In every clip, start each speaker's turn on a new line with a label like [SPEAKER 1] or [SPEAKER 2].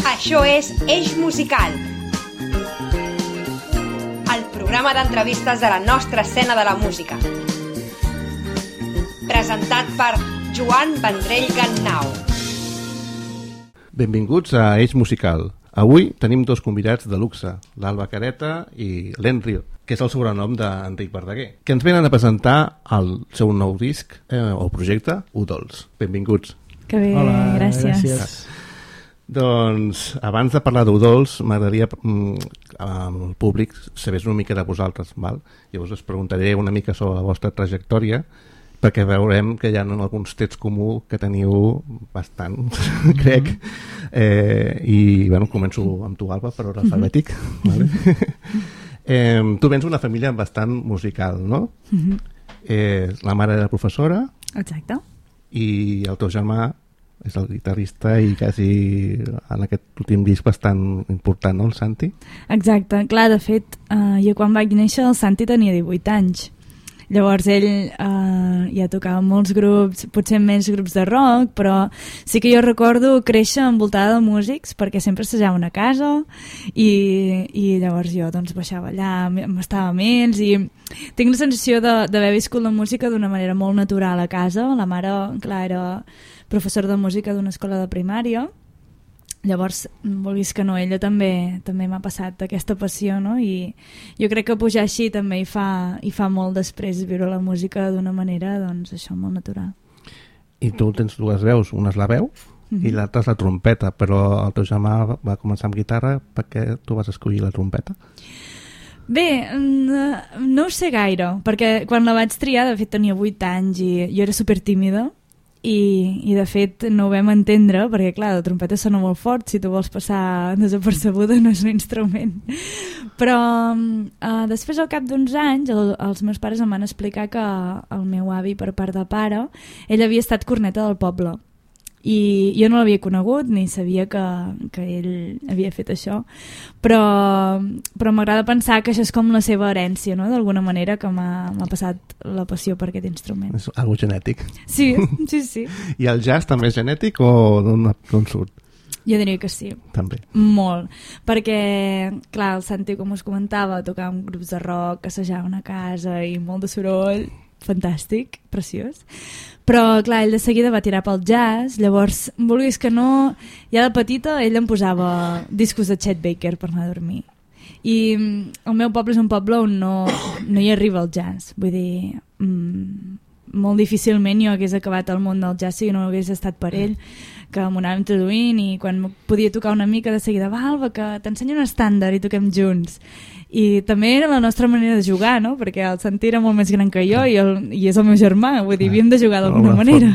[SPEAKER 1] Això és Eix Musical, el programa d'entrevistes de la nostra escena de la música. Presentat per Joan Vendrell Gannau.
[SPEAKER 2] Benvinguts a Eix Musical. Avui tenim dos convidats de luxe, l'Alba Careta i l'Enrio, que és el sobrenom d'Enric Verdaguer, que ens venen a presentar el seu nou disc o projecte, U-Dolls. Benvinguts.
[SPEAKER 3] Que bé, hola, gràcies.
[SPEAKER 2] Doncs abans de parlar d'U-Dolls m'agradaria al públic saber una mica de vosaltres, val? Llavors us preguntaré una mica sobre la vostra trajectòria, perquè veurem que hi ha alguns trets comuns que teniu bastant, crec. I bueno, començo amb tu, Alba, per ordre alfabètic. Vale? Tu vens d'una família bastant musical, no? La mare era professora.
[SPEAKER 3] Exacte.
[SPEAKER 2] I el teu germà és el guitarrista i quasi en aquest últim disc bastant important, no, el Santi?
[SPEAKER 3] Exacte. Clar, de fet, jo quan vaig néixer el Santi tenia 18 anys. Llavors ell ja tocava molts grups, potser més grups de rock, però sí que jo recordo créixer envoltada de músics perquè sempre assajaven a casa i llavors jo doncs baixava allà, m'estava amb ells i tinc la sensació d'haver viscut la música d'una manera molt natural a casa. La mare, clar, era professora de música d'una escola de primària. Llavors, vulguis que no, ella també m'ha passat aquesta passió, no? I jo crec que pujar així també hi fa molt després viure la música d'una manera, doncs això, molt natural.
[SPEAKER 2] I tu tens dues veus, una és la veu i l'altra és la trompeta, però el teu germà va començar amb guitarra. Per què tu vas escollir la trompeta?
[SPEAKER 3] Bé, no ho sé gaire, perquè quan la vaig triar, de fet tenia 8 anys i jo era supertímida. I de fet no ho vam entendre perquè clar, la trompeta sona molt fort, si tu vols passar desapercebuda no és un instrument, però després al cap d'uns anys els meus pares em van explicar que el meu avi per part de pare, ell havia estat corneta del poble i jo no l'havia conegut ni sabia que ell havia fet això, però m'agrada pensar que això és com la seva herència, no? D'alguna manera que m'ha passat la passió per aquest instrument.
[SPEAKER 2] És algo genètic.
[SPEAKER 3] Sí.
[SPEAKER 2] I el jazz també és genètic o d'on surt?
[SPEAKER 3] Jo diria que sí.
[SPEAKER 2] També.
[SPEAKER 3] Molt. Perquè, clar, el Santi, com us comentava, tocava en grups de rock, assajaven a casa i molt de soroll, fantàstic, preciós. Però, clar, ell de seguida va tirar pel jazz, llavors, vulguis que no, ja de petita ell em posava discos de Chet Baker per anar a dormir. I el meu poble és un poble on no hi arriba el jazz, vull dir, molt difícilment jo hagués acabat el món del jazz si no hagués estat per ell, que m'ho anava introduint i quan podia tocar una mica de seguida, va Alba, que t'ensenyo un estàndard i toquem junts. I també era la nostra manera de jugar, no? Perquè el Santi era molt més gran que jo i és el meu germà, vull dir, havíem de jugar d'alguna manera.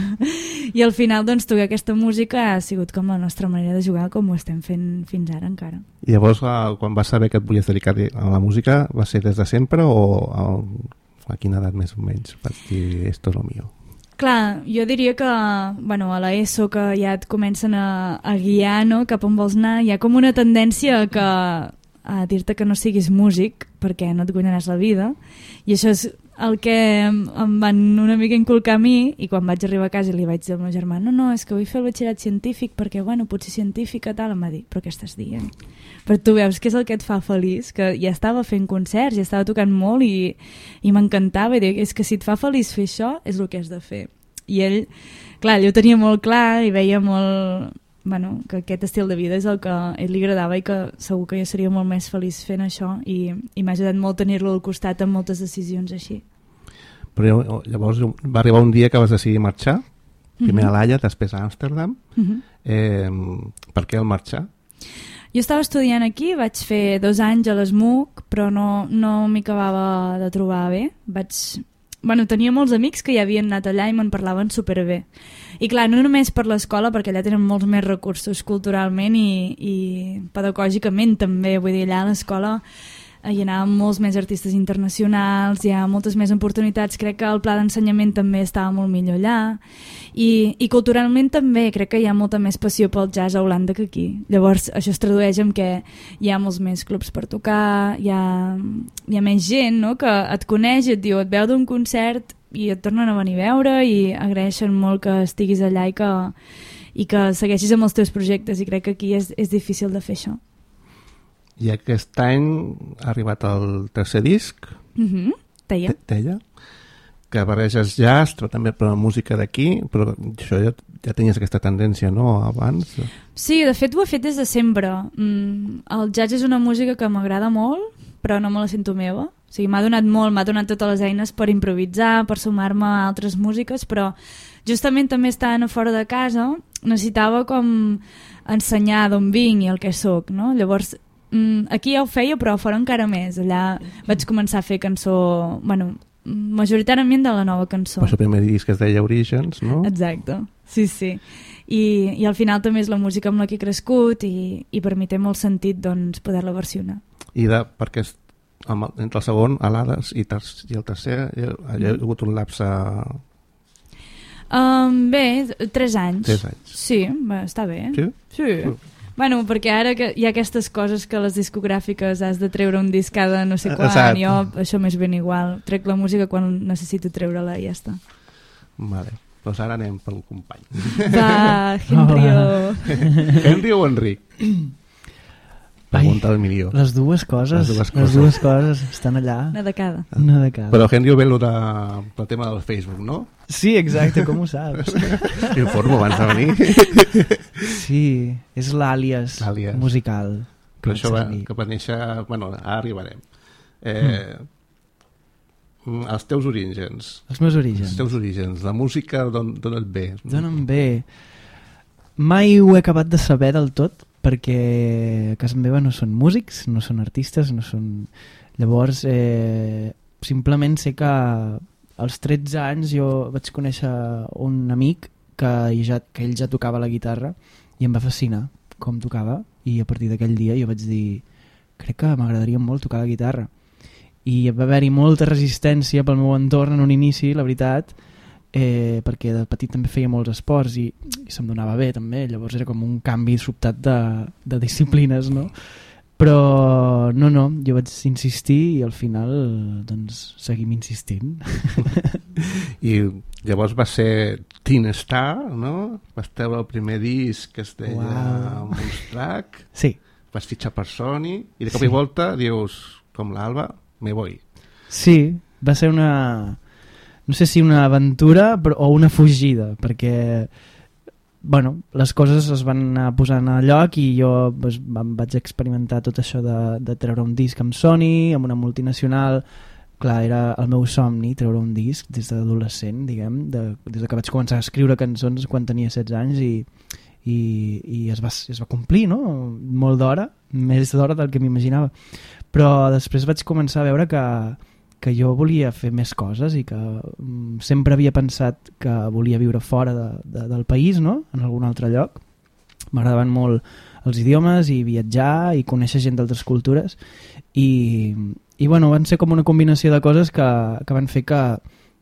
[SPEAKER 3] I al final, doncs, tocar aquesta música ha sigut com la nostra manera de jugar, com ho estem fent fins ara encara.
[SPEAKER 2] I llavors, quan vas saber que et volies dedicar a la música, va ser des de sempre o a quina edat més o menys vas dir, esto es lo mío?
[SPEAKER 3] Clar, jo diria que bueno, a l'ESO que ja et comencen a guiar, no? Cap on vols anar, hi ha com una tendència a dir-te que no siguis músic perquè no et guanyaràs la vida i això és el que em van una mica inculcar a mi i quan vaig arribar a casa i li vaig dir al meu germà no, és que vull fer el batxillerat científic perquè bueno, potser científica tal, em va dir, però què estàs dient? Però tu veus que és el que et fa feliç, que ja estava fent concerts, ja estava tocant molt i m'encantava i dic, és que si et fa feliç fer això és el que has de fer. I ell, clar, ell ho tenia molt clar i veia molt bueno, que aquest estil de vida és el que a ell li agradava i que segur que jo seria molt més feliç fent això i m'ha ajudat molt tenir-lo al costat en moltes decisions així.
[SPEAKER 2] Però llavors va arribar un dia que vas decidir marxar, primer a l'Haia, després a Amsterdam. Per què el marxar?
[SPEAKER 3] Jo estava estudiant aquí, vaig fer 2 anys a l'ESMUC, però no m'hi acabava de trobar bé. Tenia molts amics que ja havien anat allà i me'n parlaven superbé. I clar, no només per l'escola, perquè allà tenen molts més recursos culturalment i pedagògicament també, vull dir, allà a l'escola hi anaven molts més artistes internacionals, hi ha moltes més oportunitats, crec que el pla d'ensenyament també estava molt millor allà i culturalment també crec que hi ha molta més passió pel jazz a Holanda que aquí. Llavors això es tradueix en que hi ha molts més clubs per tocar, hi ha més gent, no? Que et coneix i et diu, et veu d'un concert i et tornen a venir a veure i agraeixen molt que estiguis allà i que segueixis amb els teus projectes, i crec que aquí és difícil de fer això.
[SPEAKER 2] I aquest any ha arribat el tercer disc, Teia, que barreges jazz, però també per la música d'aquí, però això ja tenies aquesta tendència, no?, abans?
[SPEAKER 3] Sí, de fet ho he fet des de sempre. El jazz és una música que m'agrada molt, però no me la sento meva. O sigui, m'ha donat totes les eines per improvisar, per sumar-me a altres músiques, però justament també estant a fora de casa necessitava com ensenyar d'on vinc i el que soc, no? Llavors, aquí ja ho feia, però fora encara més. Allà vaig començar a fer cançó, bueno, majoritàriament de la nova cançó.
[SPEAKER 2] El seu primer disc es deia Orígens, no?
[SPEAKER 3] Exacte, sí. I al final també és la música amb la que he crescut i per mi té molt sentit, doncs, poder-la versionar.
[SPEAKER 2] Perquè entre el segon, Alades, i el tercer, hi ha hagut un lapse...
[SPEAKER 3] Bé, 3 anys.
[SPEAKER 2] 3 anys.
[SPEAKER 3] Sí, està bé.
[SPEAKER 2] Sí?
[SPEAKER 3] Bueno, perquè ara que hi ha aquestes coses que les discogràfiques has de treure un disc cada no sé quan,
[SPEAKER 2] exacte.
[SPEAKER 3] Jo això m'és ben igual. Trec la música quan necessito treure-la i ja està.
[SPEAKER 2] Vale, doncs ara anem pel company.
[SPEAKER 3] Va, Henrio.
[SPEAKER 2] Henrio o Enric? Pregunta del milió.
[SPEAKER 4] Les dues coses estan allà.
[SPEAKER 3] Una de cada.
[SPEAKER 2] Però Henrio ve pel tema del Facebook, no?
[SPEAKER 4] Sí, exacte, com ho saps?
[SPEAKER 2] Informo abans de venir.
[SPEAKER 4] Sí, és l'àlies musical.
[SPEAKER 2] Però això que va néixer... Bueno, ara arribarem. Els teus orígens.
[SPEAKER 4] Els meus orígens.
[SPEAKER 2] Els teus orígens. La música d'on et ve?
[SPEAKER 4] D'on em ve? Mai ho he acabat de saber del tot, perquè a casa meva no són músics, no són artistes, no són... Llavors, simplement sé que als 13 anys jo vaig conèixer un amic que ell ja tocava la guitarra i em va fascinar com tocava, i a partir d'aquell dia jo vaig dir, crec que m'agradaria molt tocar la guitarra. I va haver-hi molta resistència pel meu entorn en un inici, la veritat, perquè de petit també feia molts esports i se'm donava bé també, llavors era com un canvi sobtat de disciplines, no? Però no, jo vaig insistir i al final doncs seguim insistint.
[SPEAKER 2] I llavors va ser Teen Star, no? Vas treure el primer disc que es deia Moonstruck.
[SPEAKER 4] Sí.
[SPEAKER 2] Vas fitxar per Sony i de cop i volta dius, com l'Alba, me voy.
[SPEAKER 4] Sí, va ser una... no sé si una aventura o una fugida, perquè bueno, les coses es van anar posant a lloc i jo vaig experimentar tot això de treure un disc amb Sony, amb una multinacional. Clar, era el meu somni treure un disc des d'adolescent, diguem, des que vaig començar a escriure cançons quan tenia 16 anys i es va complir, no? Molt d'hora, més d'hora del que m'imaginava. Però després vaig començar a veure que jo volia fer més coses i que sempre havia pensat que volia viure fora del país, no? En algun altre lloc. M'agradaven molt els idiomes i viatjar i conèixer gent d'altres cultures i bueno, van ser com una combinació de coses que van fer que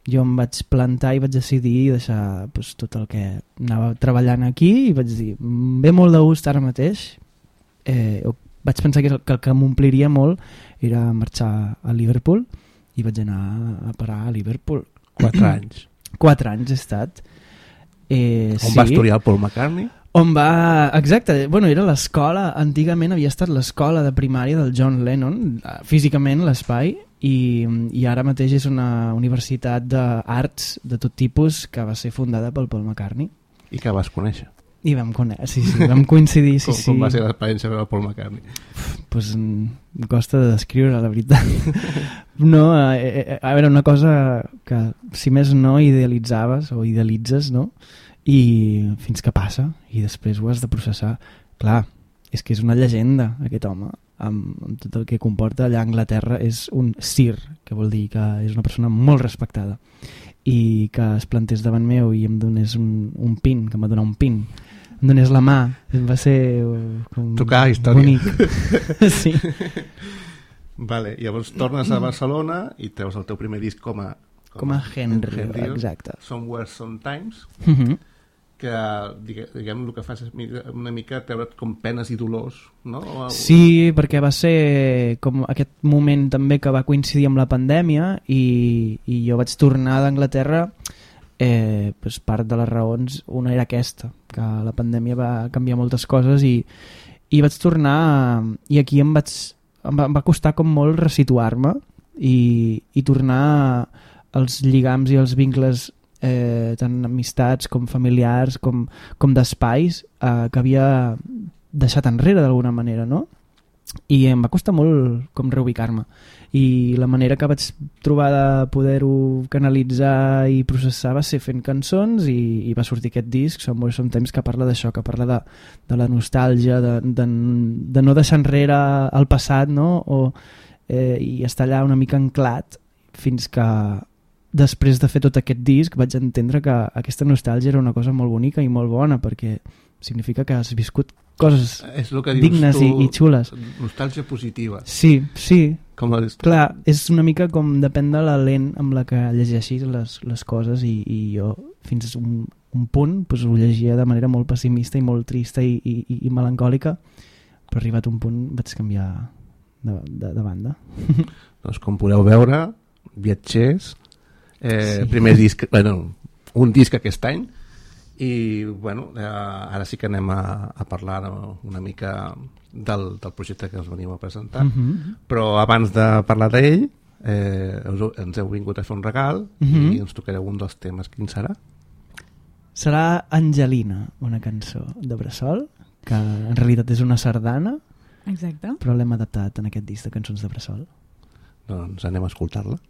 [SPEAKER 4] jo em vaig plantar i vaig decidir deixar tot el que anava treballant aquí i vaig dir, ve molt de gust ara mateix. Vaig pensar que el que m'ompliria molt era marxar a Liverpool i vaig anar a parar a Liverpool.
[SPEAKER 2] 4 anys.
[SPEAKER 4] 4 anys he estat.
[SPEAKER 2] On va estudiar el Paul McCartney?
[SPEAKER 4] Exacte, bueno, era l'escola, antigament havia estat l'escola de primària del John Lennon, físicament l'espai, i ara mateix és una universitat d'arts de tot tipus que va ser fundada pel Paul McCartney.
[SPEAKER 2] I que vas conèixer?
[SPEAKER 4] I vam conèixer, sí, vam coincidir, sí.
[SPEAKER 2] Com va ser l'experiència del Paul McCartney?
[SPEAKER 4] Pues em costa de descriure, la veritat. No, a veure, una cosa que, si més no, idealitzaves o idealitzes, no? I fins que passa, i després ho has de processar. Clar, és que és una llegenda, aquest home, amb tot el que comporta. Allà a Anglaterra és un sir, que vol dir que és una persona molt respectada, i que es plantés davant meu i em donés un pin, que em va donar un pin, em donés la mà, va ser
[SPEAKER 2] tocar història
[SPEAKER 4] bonic. Sí.
[SPEAKER 2] Vale, llavors tornes a Barcelona i treus el teu primer disc com a
[SPEAKER 4] Henry, exacte.
[SPEAKER 2] Somewhere Sometimes, que diguem el que fas és una mica treure't com penes i dolors, no?
[SPEAKER 4] Sí, perquè va ser com aquest moment també que va coincidir amb la pandèmia i jo vaig tornar d'Anglaterra, part de les raons, una era aquesta, que la pandèmia va canviar moltes coses i vaig tornar i aquí em va costar com molt resituar-me i tornar als lligams i als vincles tant amistats com familiars com d'espais que havia deixat enrere d'alguna manera, no? I em va costar molt com reubicar-me i la manera que vaig trobar de poder-ho canalitzar i processar va ser fent cançons i va sortir aquest disc, Sometimes, que parla d'això, que parla de la nostàlgia, de no deixar enrere el passat, no? I estar allà una mica anclat fins que després de fer tot aquest disc vaig entendre que aquesta nostàlgia era una cosa molt bonica i molt bona perquè significa que has viscut coses dignes i xules.
[SPEAKER 2] Nostàlgia positiva.
[SPEAKER 4] Sí.
[SPEAKER 2] Com la
[SPEAKER 4] clar, és una mica com depèn de la lent amb la que llegeixis les coses i jo fins a un punt pues, ho llegia de manera molt pessimista i molt trista i melancòlica, però arribat a un punt vaig canviar de banda.
[SPEAKER 2] Doncs com podeu veure, Viatgers, primer disc, un disc aquest any i ara sí que anem a parlar una mica del projecte que us venim a presentar, però abans de parlar d'ell ens heu vingut a fer un regal i ens tocareu un dels temes. Quin serà?
[SPEAKER 4] Serà Angelina, una cançó de Bressol que en realitat és una sardana.
[SPEAKER 3] Exacte.
[SPEAKER 4] Però l'hem adaptat en aquest disc de cançons de Bressol.
[SPEAKER 2] Doncs anem a escoltar-la.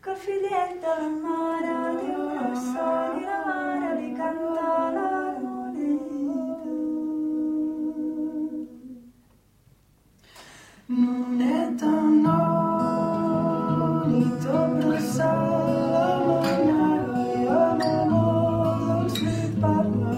[SPEAKER 5] Que fillet de la mare diu Bressol i la mare li canta la noneta. Noneta, nonito, Bressol, la mare i l'amor dolç li parla.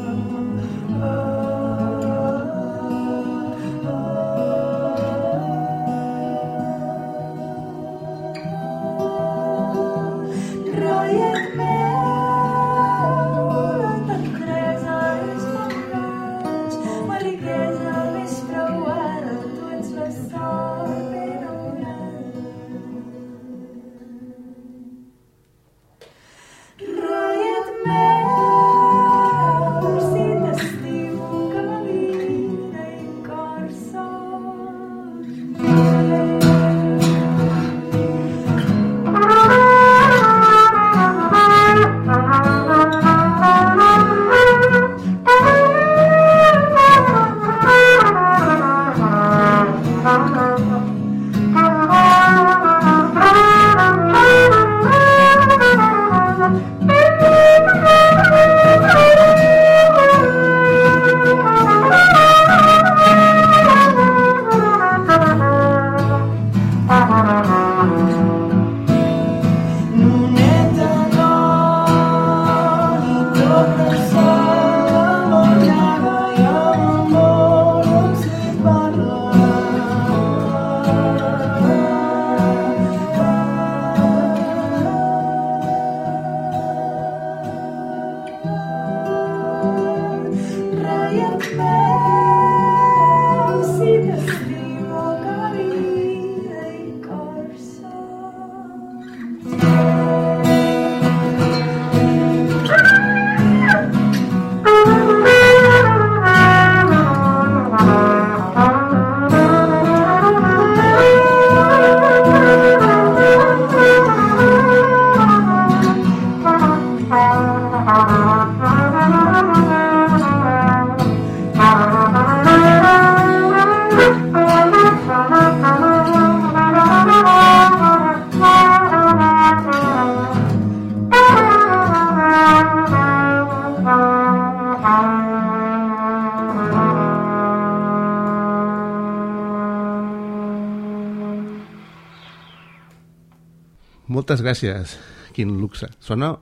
[SPEAKER 2] Moltes gràcies, quin luxe. Sona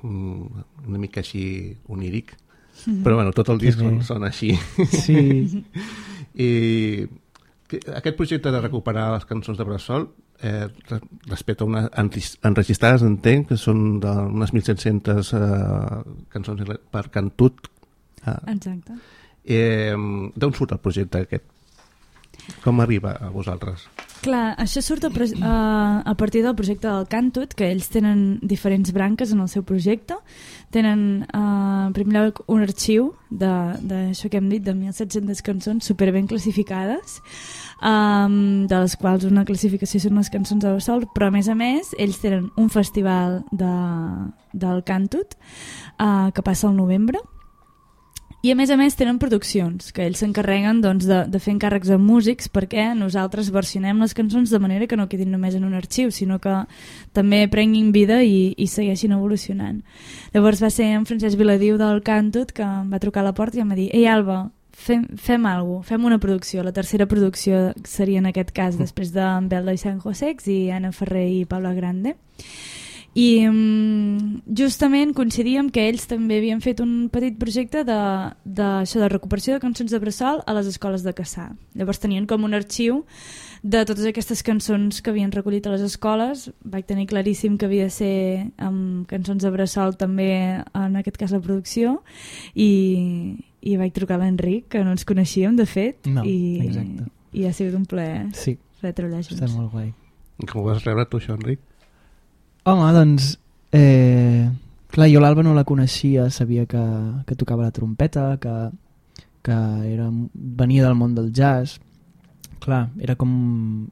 [SPEAKER 2] una mica així oníric, però bueno, tot el disc sona així.
[SPEAKER 4] Sí.
[SPEAKER 2] I aquest projecte de recuperar les cançons de Bressol respecte a unes enregistrades, entenc que són d'unes 1.700 cançons per cantut.
[SPEAKER 3] Exacte.
[SPEAKER 2] D'on surt el projecte aquest? Com arriba a vosaltres?
[SPEAKER 3] Clar, això surt a partir del projecte del Cantut, que ells tenen diferents branques en el seu projecte. Tenen, en primer lloc, un arxiu d'això que hem dit, de 1.700 cançons superben classificades, de les quals una classificació són les cançons de bressol, però a més ells tenen un festival del Cantut que passa al novembre, i a més tenen produccions que ells s'encarreguen doncs, de fer encàrrecs a músics, perquè nosaltres versionem les cançons de manera que no quedin només en un arxiu, sinó que també prenguin vida i segueixin evolucionant. Llavors va ser en Francesc Viladiu del Cantut que em va trucar a la porta i em va dir: «Ei, Alba, fem alguna cosa, fem una producció». La tercera producció seria en aquest cas després d'en Belda i San Josex i Anna Ferrer i Paula Grande. I justament coincidíem que ells també havien fet un petit projecte de recuperació de cançons de bressol a les escoles de Cassà. Llavors tenien com un arxiu de totes aquestes cançons que havien recollit a les escoles. Vaig tenir claríssim que havia de ser amb cançons de bressol també, en aquest cas la producció, i vaig trucar a l'Enric, que no ens coneixíem de fet,
[SPEAKER 4] exacte.
[SPEAKER 3] I ha sigut un plaer treballar junts.
[SPEAKER 4] Està molt guai.
[SPEAKER 2] Com ho vas rebre tu, això, Enric?
[SPEAKER 4] Home, doncs, clar, jo l'Alba no la coneixia, sabia que tocava la trompeta, que venia del món del jazz. Clar, era com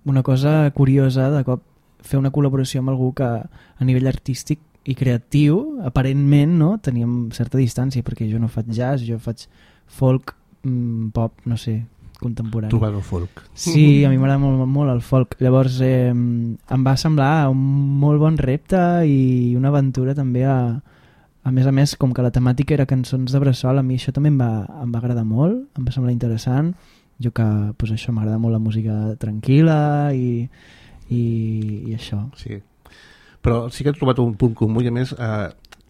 [SPEAKER 4] una cosa curiosa de cop fer una col·laboració amb algú que a nivell artístic i creatiu, aparentment, no, teníem certa distància, perquè jo no faig jazz, jo faig folk, pop, no sé, contemporani. Tu
[SPEAKER 2] vas al folk.
[SPEAKER 4] Sí, a mi m'agrada molt, molt el folk. Llavors em va semblar un molt bon repte i una aventura també a més, com que la temàtica era cançons de bressol, a mi això també em va agradar molt, em va semblar interessant. Jo que, doncs això, m'agrada molt la música tranquil·la i això. Sí.
[SPEAKER 2] Però sí que he trobat un punt comú i a més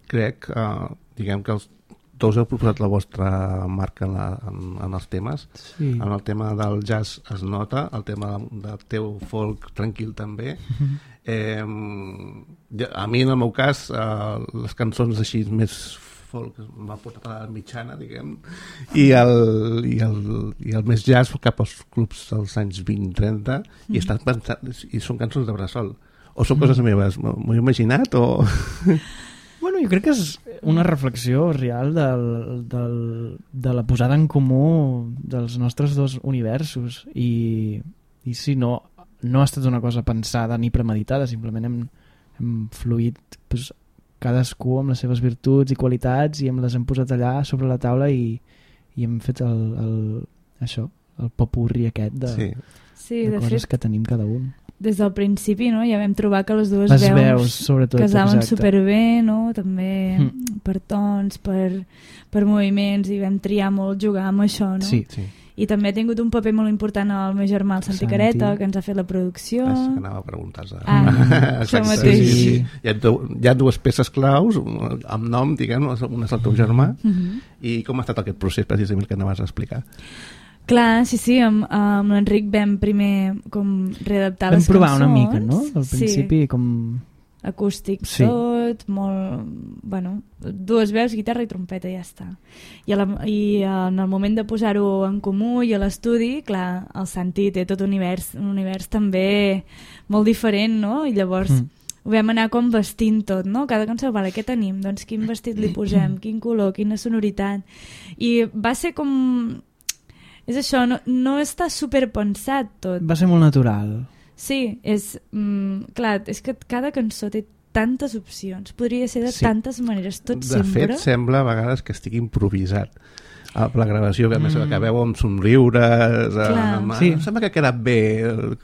[SPEAKER 2] crec, diguem que els tots heu proposat la vostra marca en els temes. Sí. En el tema del jazz es nota, el tema del teu folk tranquil també. A mi, en el meu cas, les cançons així més folk m'ha portat a la mitjana, diguem, i el més jazz cap als clubs dels anys 20-30 i estan pensant, i són cançons de bressol. O són coses meves? M'ho he imaginat o...
[SPEAKER 4] Bueno, jo crec que és una reflexió real de la posada en comú dels nostres dos universos i sí, no ha estat una cosa pensada ni premeditada, simplement hem fluït pues, cadascú amb les seves virtuts i qualitats i les hem posat allà sobre la taula i hem fet això, el popurri aquest de coses que tenim cada un.
[SPEAKER 3] Des del principi, no? Ja vam trobar que les dues
[SPEAKER 4] veus sobretot,
[SPEAKER 3] casaven superbé, no? També per tons, per moviments, i vam triar molt jugar amb això, no?
[SPEAKER 4] Sí.
[SPEAKER 3] I també ha tingut un paper molt important el meu germà, el Santi Careta, que ens ha fet la producció.
[SPEAKER 2] Que anava a preguntar-se.
[SPEAKER 3] Això mateix.
[SPEAKER 2] Sí. Hi ha dues peces claus, amb nom, diguem, una és el teu germà, i com ha estat aquest procés, precisament, que anaves a explicar?
[SPEAKER 3] Clar, sí, amb l'Enric vam primer com readaptar les cançons.
[SPEAKER 4] Vam provar una mica, no? Al principi com...
[SPEAKER 3] Acústic tot, molt... Bueno, dues veus, guitarra i trompeta i ja està. I en el moment de posar-ho en comú i a l'estudi, clar, el Santi té tot un univers també molt diferent, no? I llavors ho vam anar com vestint tot, no? Cada cançó, vale, què tenim? Doncs quin vestit li posem, quin color, quina sonoritat. I va ser com... És això, no està superpensat tot.
[SPEAKER 4] Va ser molt natural.
[SPEAKER 3] Sí, clar, és que cada cançó té tantes opcions, podria ser de tantes maneres, tot sempre.
[SPEAKER 2] De fet, sembla a vegades que estigui improvisat. La gravació, que a més acabeu amb somriures, sembla que ha quedat bé,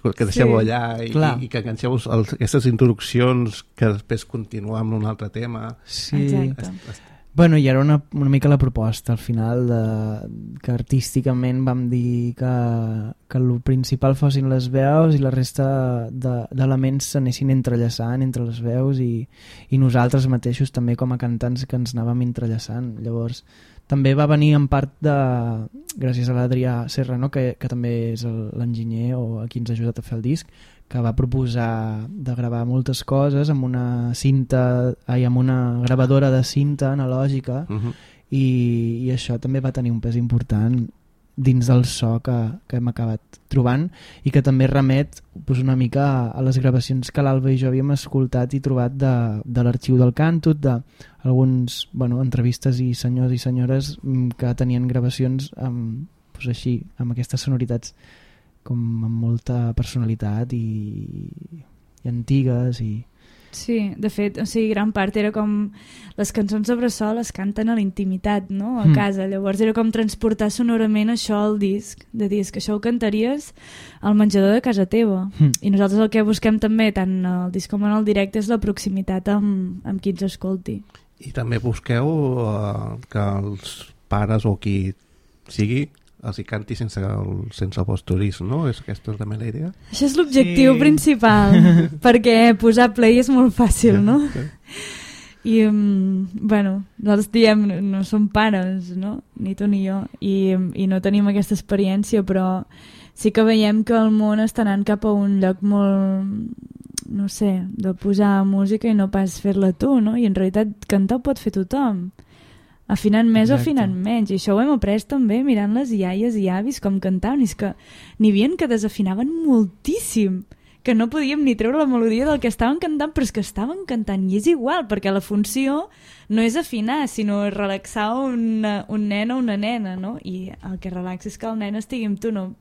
[SPEAKER 2] que deixeu allà i que enganxeu aquestes introduccions que després continuem amb un altre tema.
[SPEAKER 4] Sí.
[SPEAKER 3] Exacte.
[SPEAKER 4] Bueno, i era una mica la proposta al final que artísticament vam dir que el principal fossin les veus i la resta d'elements s'anessin entrellaçant entre les veus i nosaltres mateixos també com a cantants que ens anàvem entrellaçant. Llavors també va venir en part gràcies a l'Adrià Serra, no? que també és l'enginyer o a qui ens ha ajudat a fer el disc, que va proposar de gravar moltes coses amb una gravadora de cinta analògica i això també va tenir un pes important dins del so que hem acabat trobant i que també remet pues, una mica a les gravacions que l'Alba i jo havíem escoltat i trobat de l'arxiu del Càntut, d'alguns entrevistes i senyors i senyores que tenien gravacions pues, així, amb aquestes sonoritats com amb molta personalitat i antigues i...
[SPEAKER 3] Sí, de fet, o sigui, gran part era com les cançons de bressol es canten a la intimitat, no? A casa, llavors era com transportar sonorament això al disc, de dir que això ho cantaries al menjador de casa teva i nosaltres el que busquem també tant al disc com en el directe és la proximitat amb qui ens escolti.
[SPEAKER 2] I també busqueu que els pares o qui sigui els hi canti sense el vostre disc, no? Aquesta és també la idea?
[SPEAKER 3] Això és l'objectiu principal, perquè posar play és molt fàcil, no? I, nosaltres diem, no som pares, no? Ni tu ni jo, i no tenim aquesta experiència, però sí que veiem que el món està anant cap a un lloc molt, no sé, de posar música i no pas fer-la tu, no? I en realitat cantar ho pot fer tothom. Afinant més o afinant menys, i això ho hem après també mirant les iaies i avis com cantaven, i és que n'hi havia que desafinaven moltíssim, que no podíem ni treure la melodia del que estaven cantant, però és que estaven cantant, i és igual, perquè la funció no és afinar, sinó relaxar un nen o una nena, no? I el que relaxa és que el nen estigui amb tu, no?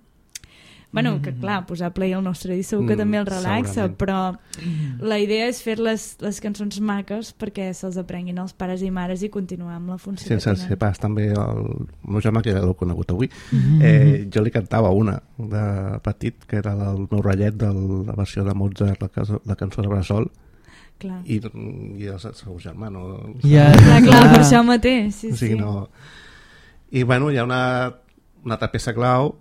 [SPEAKER 3] Bueno, que clar, posar play al nostre disc segur que també el relaxa, però la idea és fer les cançons maques perquè se'ls aprenguin els pares i mares i continuar amb la funció.
[SPEAKER 2] Sense ser pas, també el meu germà, que ja l'heu conegut avui, jo li cantava una de petit, que era el meu ratllet de la versió de Mozart, la cançó de Bressol, i el seu germà, no?
[SPEAKER 3] Clar, per això mateix.
[SPEAKER 2] Sí. I bueno, hi ha una altra peça clau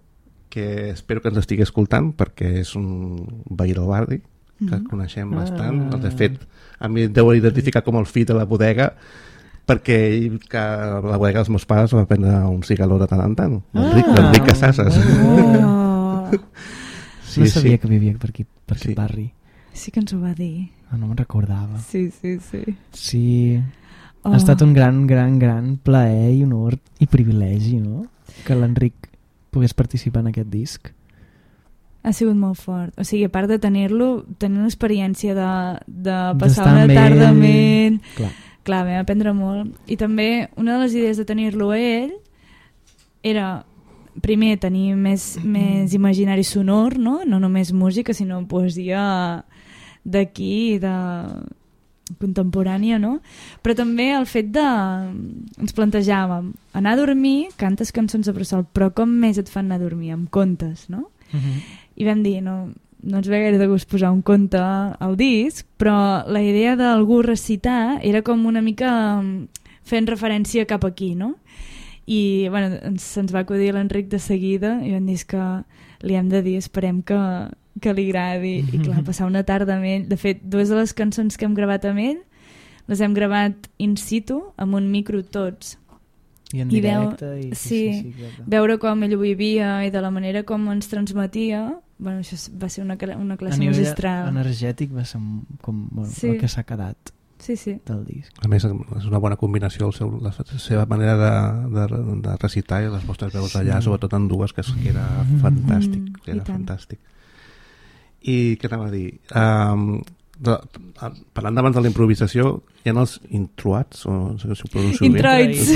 [SPEAKER 2] que espero que ens estigui escoltant perquè és un veí del barri que coneixem bastant. De fet, a mi deu identificar com el fill de la bodega perquè ell, que a la bodega dels meus pares va prendre un cigaló de tant en tant, l'Enric Casasses.
[SPEAKER 4] No sabia que vivia per aquest barri.
[SPEAKER 3] Sí que ens ho va dir.
[SPEAKER 4] No me'n recordava.
[SPEAKER 3] Sí.
[SPEAKER 4] Ha estat un gran plaer i honor i privilegi, no? Que l'Enric pogués participar en aquest disc.
[SPEAKER 3] Ha sigut molt fort. O sigui, a part de tenir-lo, tenir una experiència de passar una tarda amb ell. Clar, vam aprendre molt. I també una de les idees de tenir-lo a ell era, primer, tenir més imaginari sonor, no? No només música, sinó poesia d'aquí, de contemporània, no? Però també el fet de... ens plantejàvem anar a dormir, cantes cançons de bressol, però com més et fan anar a dormir? Amb contes, no? I vam dir, no ens ve gaire de gust posar un conte al disc, però la idea d'algú recitar era com una mica fent referència cap aquí, no? I bueno, se'ns va acudir l'Enric de seguida i vam dir que li hem de dir, esperem que li agradi, i clar, passar una tarda amb ell. De fet, dues de les cançons que hem gravat amb ell les hem gravat in situ, amb un micro tots,
[SPEAKER 4] i en directe
[SPEAKER 3] veure com ell ho vivia i de la manera com ens transmetia. Bueno, això va ser una classe magistral.
[SPEAKER 4] A nivell energètic va ser com el que s'ha quedat del disc.
[SPEAKER 2] A més, és una bona combinació la seva manera de recitar i les vostres veus allà, sobretot en dues, que era fantàstic. Fantàstic. I què anava a dir? Parlant d'abans de la improvisació, hi ha els introits, o no sé si ho pronuncio bé. Introits.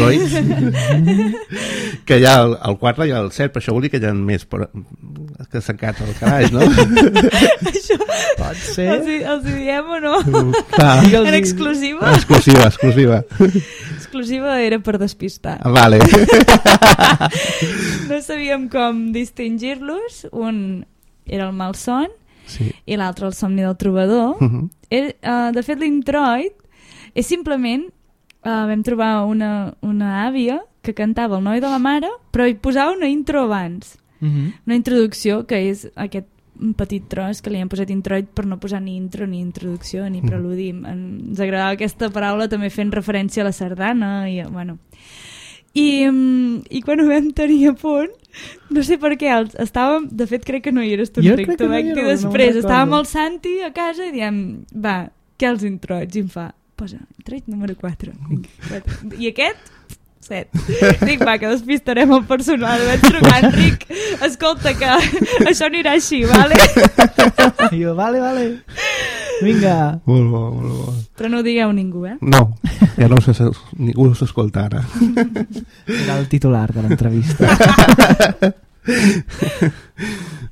[SPEAKER 2] Que hi ha el 4 i el 7, però això vol dir que hi ha més que s'encata el calaix, no?
[SPEAKER 3] Això pot ser. Els diem o no? En exclusiva?
[SPEAKER 2] Exclusiva.
[SPEAKER 3] Exclusiva era per despistar.
[SPEAKER 2] Vale.
[SPEAKER 3] No sabíem com distingir-los. Un era el malson, i l'altre el somni del trobador. De fet, l'introit és simplement vam trobar una àvia que cantava El noi de la mare, però hi posava una intro abans, una introducció, que és aquest petit tros que li hem posat introit per no posar ni intro, ni introducció, ni preludi. Ens agradava aquesta paraula també fent referència a la sardana i bueno. I quan ho vam tenir a punt, no sé per què, estàvem, de fet crec que no hi eres tu, Enric, t'ho vaig dir després, estàvem al Santi a casa i diem, va, què els introits? I em fa, posa introit número 4. I aquest, 7. Dic, va, que despistarem el personal. Vaig trucar, Enric, escolta, que això anirà així, vale?
[SPEAKER 4] I jo, vale. Vinga.
[SPEAKER 2] Molt bo, molt bo.
[SPEAKER 3] Però no ho digueu ningú,
[SPEAKER 2] No, ja no ningú s'escolta ara.
[SPEAKER 4] Era el titular de l'entrevista.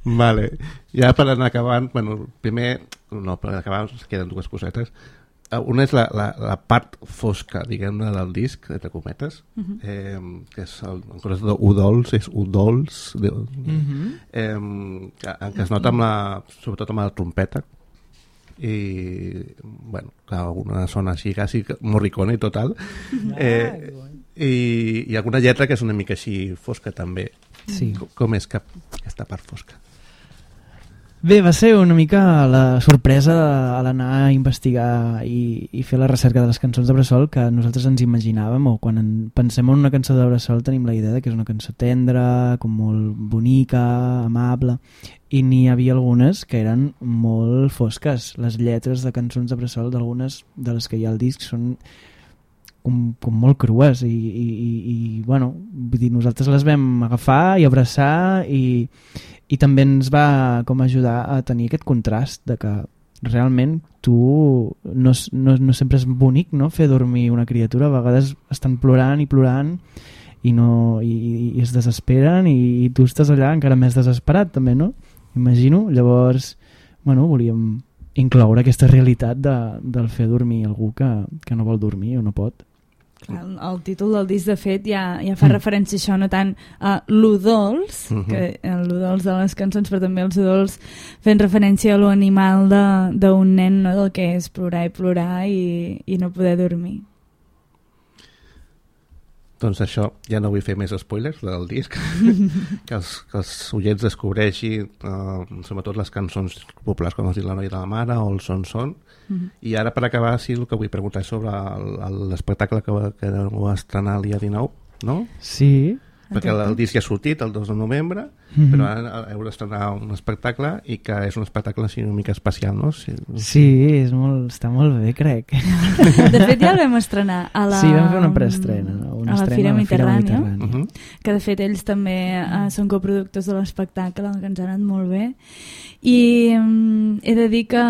[SPEAKER 2] Vale. Ja per anar acabant, bueno, primer, no, per acabar queden dues cosetes. Una és la part fosca, diguem-ne, del disc, entre cometes, que és en coses d'udols, és udols, en què es nota sobretot amb la trompeta, i bueno, clar, una zona així quasi morricone i total, i alguna lletra que és una mica així fosca també.
[SPEAKER 4] Sí.
[SPEAKER 2] Com és aquesta part fosca?
[SPEAKER 4] Bé, va ser una mica la sorpresa a l'anar a investigar i fer la recerca de les cançons de Bressol que nosaltres ens imaginàvem, o quan pensem en una cançó de Bressol tenim la idea de que és una cançó tendra, com molt bonica, amable, i n'hi havia algunes que eren molt fosques. Les lletres de cançons de Bressol, d'algunes de les que hi ha al disc, són com molt crues i bueno, vull dir, nosaltres les vam agafar i abraçar i també ens va com ajudar a tenir aquest contrast de que realment tu no sempre és bonic, no? Fer dormir una criatura, a vegades estan plorant i es desesperen i tu estàs allà encara més desesperat també, no? Imagino, llavors bueno, volíem incloure aquesta realitat del fer dormir algú que no vol dormir o no pot.
[SPEAKER 3] El títol del disc, de fet, ja fa referència a això, no tant a l'udols, que l'udols de les cançons, però també els udols fent referència a l'animal d'un nen, no? Del que és plorar i no poder dormir.
[SPEAKER 2] Doncs això, ja no vull fer més spoilers del disc, que els oients descobreixin sobretot les cançons populars, com has dit, La noia de la mare o el Son. I ara, per acabar, sí, el que vull preguntar és sobre l'espectacle que va estrenar el dia 19, no?
[SPEAKER 4] Sí.
[SPEAKER 2] Perquè el disc ja ha sortit el 2 de novembre, però ara heu d'estrenar un espectacle i que és un espectacle així una mica especial, no?
[SPEAKER 4] Sí, està molt bé, crec.
[SPEAKER 3] De fet, ja el vam estrenar a la...
[SPEAKER 4] Sí, vam fer una preestrena,
[SPEAKER 3] a la Fira Mediterrània, que de fet ells també són coproductors de l'espectacle, que ens ha anat molt bé. I he de dir que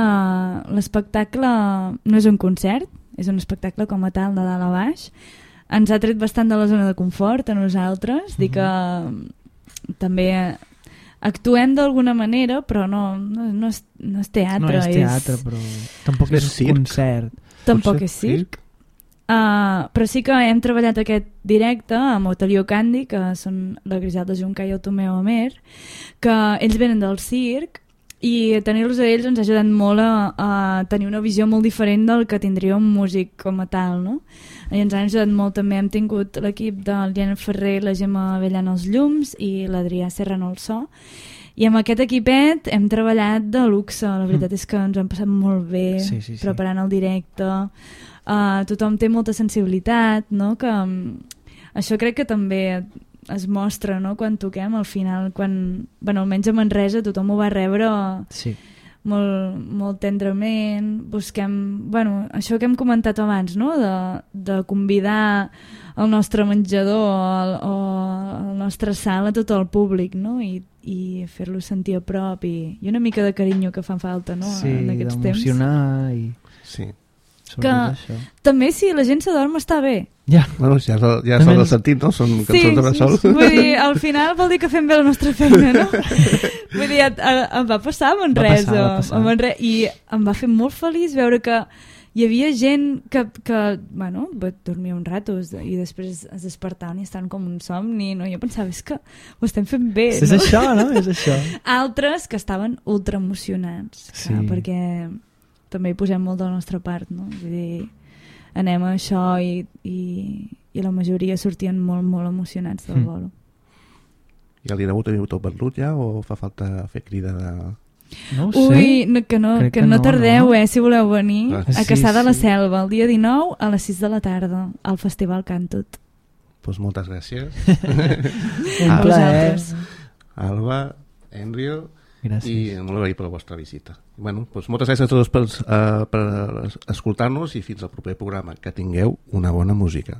[SPEAKER 3] l'espectacle no és un concert, és un espectacle com a tal de dalt a baix. Ens ha tret bastant de la zona de confort a nosaltres, dir que també actuem d'alguna manera, però no és teatre.
[SPEAKER 4] No és teatre, però tampoc és concert.
[SPEAKER 3] Tampoc és circ. Però sí que hem treballat aquest directe amb Otelio Candy, que són la Griselda Junca i el Tomeu Amer, que ells venen del circ, i tenir-los a ells ens ha ajudat molt a tenir una visió molt diferent del que tindria un músic com a tal, no? I ens han ajudat molt també, hem tingut l'equip de l'Iana Ferrer, la Gemma Avellana als llums i l'Adrià Serrano al so, i amb aquest equipet hem treballat de luxe. La veritat és que ens han passat molt bé preparant el directe, tothom té molta sensibilitat, no? Que això crec que també es mostra, no? Quan toquem al final, bueno, almenys a Manresa tothom ho va rebre molt tendrament. Busquem, bueno, això que hem comentat abans, no? De convidar el nostre menjador o la nostra sala a tot el públic, no? I fer-lo sentir a prop i una mica de carinyo que fa falta, no? En aquests temps.
[SPEAKER 4] Sí, d'emocionar i...
[SPEAKER 2] Sí.
[SPEAKER 3] Que també si la gent s'adorm està bé.
[SPEAKER 2] Ja, bueno, ja s'ha del sentit, no? Són cançons de Bressol.
[SPEAKER 3] Sí. Vull dir, al final vol dir que fem bé la nostra feina, no? Vull dir, em va passar a Manresa. I em va fer molt feliç veure que hi havia gent que bueno, dormia un rato i després es despertaven i estaven com un somni, no? Jo pensava, és que ho estem fent bé,
[SPEAKER 4] no? És això, no? És això.
[SPEAKER 3] Altres que estaven ultra emocionats, clar, perquè també hi posem molt de la nostra part, no? Vull dir, anem a això i la majoria sortien molt, molt emocionats del bolo.
[SPEAKER 2] I el dia d'avui teniu tot venut ja o fa falta fer crida de...
[SPEAKER 4] No ho sé.
[SPEAKER 3] Ui, que no tardeu, si voleu venir a Caçà de la Selva el dia 19 a les 6 de la tarda al Festival Cantut.
[SPEAKER 2] Doncs moltes gràcies.
[SPEAKER 4] Un plaer.
[SPEAKER 2] Alba, Enrio,
[SPEAKER 4] gràcies.
[SPEAKER 2] I molt agraït per la vostra visita. Bueno, doncs moltes gràcies a tots per escoltar-nos i fins al proper programa. Que tingueu una bona música.